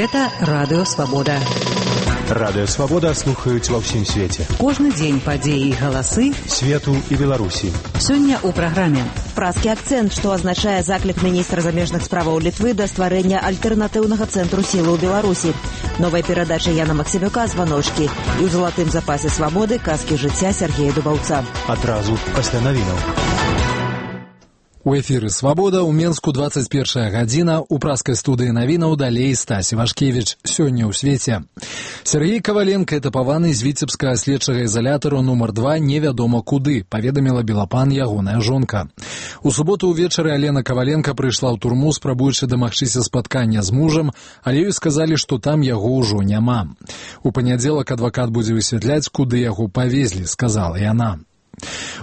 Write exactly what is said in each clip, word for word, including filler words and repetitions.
Гэта Радыё Свабода. Радыё Свабода слухаюць ва ўсім свеце. Кожны дзень падзеі і галасы свету і Беларусі. Сёння ў праграме. Празкі акцэнт, што азначае заклік міністра замежных справаў Літвы да стварэння альтэрнатыўнага цэнтру сілы ў Беларусі. Новая перадача Яна Максімюка «Званочкі» і ў залатым запасе свабоды казкі жыцця Сергея Дубаўца. Адразу пасля навінаў. У эфіры «Свабода» ў Менску двадцать першая гадзіна, у праскай студыі навінаў далей Стась Івашкевіч. Сёння ў свеце. Сергей Каваленко, этапаваны з віцебскага следчага ізалятару нумар два невядома куды, паведаміла Белапан ягоная жонка. У суботу ўвечары Алена Каваленко прыйшла ў турму, спрабуючы дамагчыся спаткання з мужам, але ёй сказалі, што там яго ўжо няма. У панядзелак адвакат будзе высвятляць, куды яго павезлі, сказала яна.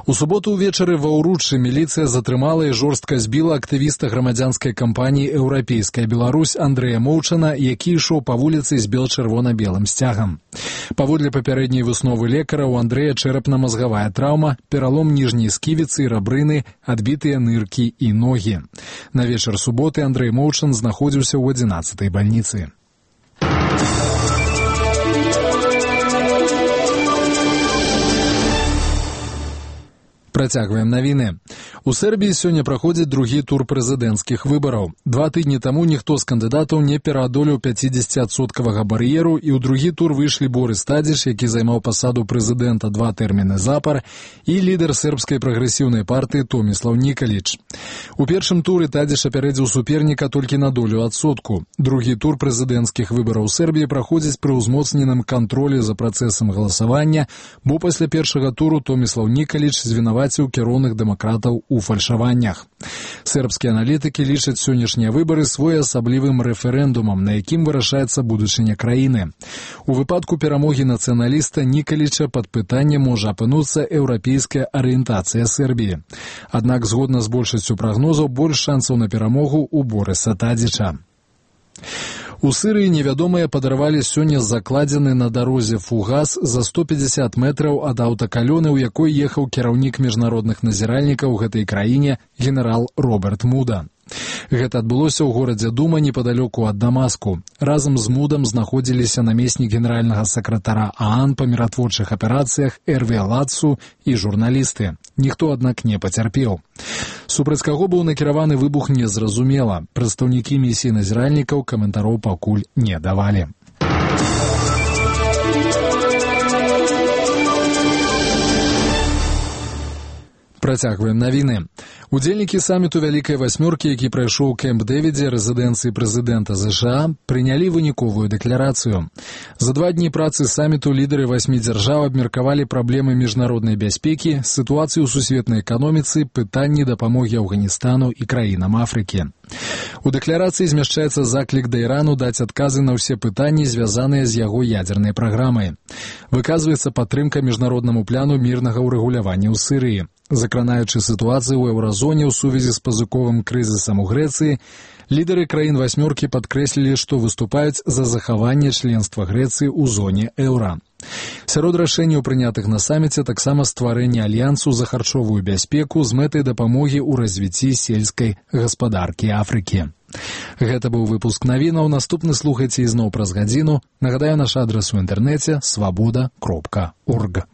У суботу ўвечары ва Ўруччы міліцыя затрымала і жорстка збіла актывіста грамадзянскай кампаніі «Еўрапейская Беларусь» Андрэя Моўчана, які ішоў па вуліцы з бел-чырвона-белым сцягам. Паводле папярэдняй высновы лекара, у Андрэя чэрапна-мазгавая траўма, пералом ніжняй сківіцы і рабрыны, адбітыя ныркі і ногі. На вечар суботы Андрэй Моўчан знаходзіўся ў адзінаццатай бальніцы. Працягваем навіны. У Сербіі сёння праходзіць другі тур прэзідэнцкіх выбараў. Два тыдні таму ніхто з кандыдатаў не пераадолеў пяцідзесяціадсоткавага бар'еру, і ў другі тур выйшлі Борыс Тадзіч, які займаў пасаду прэзідэнта два тэрміны запар, і лідар сербскай прагрэсіўнай партыі Томіслав Нікаліч. У першым туры Тадзіч апярэдзіў суперніка толькі на долю адсотку. Другі тур прэзідэнцкіх выбараў у Сербіі праходзіць пры ўзмоцненым кантролі за працэсам галасавання, бо пасля першага туру Томіслав Нікаліч звінаваціў кіроўных дэмакратаў у фальшаваннях. Сербскія аналітыкі лічаць сённяшнія выбары своеасаблівым рэферэндумам, на якім вырашаецца будучыня краіны. У выпадку перамогі нацыяналіста Нікаліча пад пытаннем можа апынуцца еўрапейская арыентацыя Сербіі. Аднак, згодна з большасцю прагнозаў, больш шансаў на перамогу ў Борыса Тадзіча. У Сырыі невядомыя падарвалі сёння закладзены на дарозе фугас за сто пятьдесят метраў ад аўтакалёны, у якой ехаў кіраўнік міжнародных назіральнікаў у гэтай краіне генерал Роберт Муда. Гэта адбылося ў горадзе Дума непадалёку ад Дамаску. Разам з Мудам знаходзіліся намеснік генеральнага сакратара ААН па міратворчых аперацыях Эрве Лацу і журналісты. Ніхто, аднак, не пацярпеў. Супраць каго быў накіраваны выбух, незразумела. Прадстаўнікі місіі назіральнікаў каментароў пакуль не давалі. Працягваем навіны. Удзельнікі саміту Вялікай васьмёркі, які прайшоў у Кэмп-Дэвідзе, рэзідэнцыі прэзідэнта ЗША, прынялі выніковую дэкларацыю. За два дні працы саміту лідары васьмі дзяржаў абмеркавалі праблемы міжнароднай бяспекі, сітуацыю ў сусветнай эканоміцы, пытанні дапамогі Афганістану і краінам Афрыкі. У дэкларацыі змяшчаецца заклік да Ірану даць адказы на ўсе пытанні, звязаныя з яго ядзернай праграмай. Выказваецца падтрымка міжнароднаму пляну мірнага ўрэгулявання ў Сырыі. Закранаючы сітуацыю ў еўразоне ў сувязі з пазыковым крызісам у Грэцыі, лідары краін васьмёркі падкрэслілі, што выступаюць за захаванне членства Грэцыі ў зоне еўра. Сярод рашэнняў, прынятых на саміце, таксама стварэнне альянсу за харчовую бяспеку з мэтай дапамогі ў развіцці сельскай гаспадаркі Афрыкі. Гэта быў выпуск навінаў. Наступны слухайце ізноў праз гадзіну. Нагадаю, наш адрас у інтэрнэце свабода кропка орг.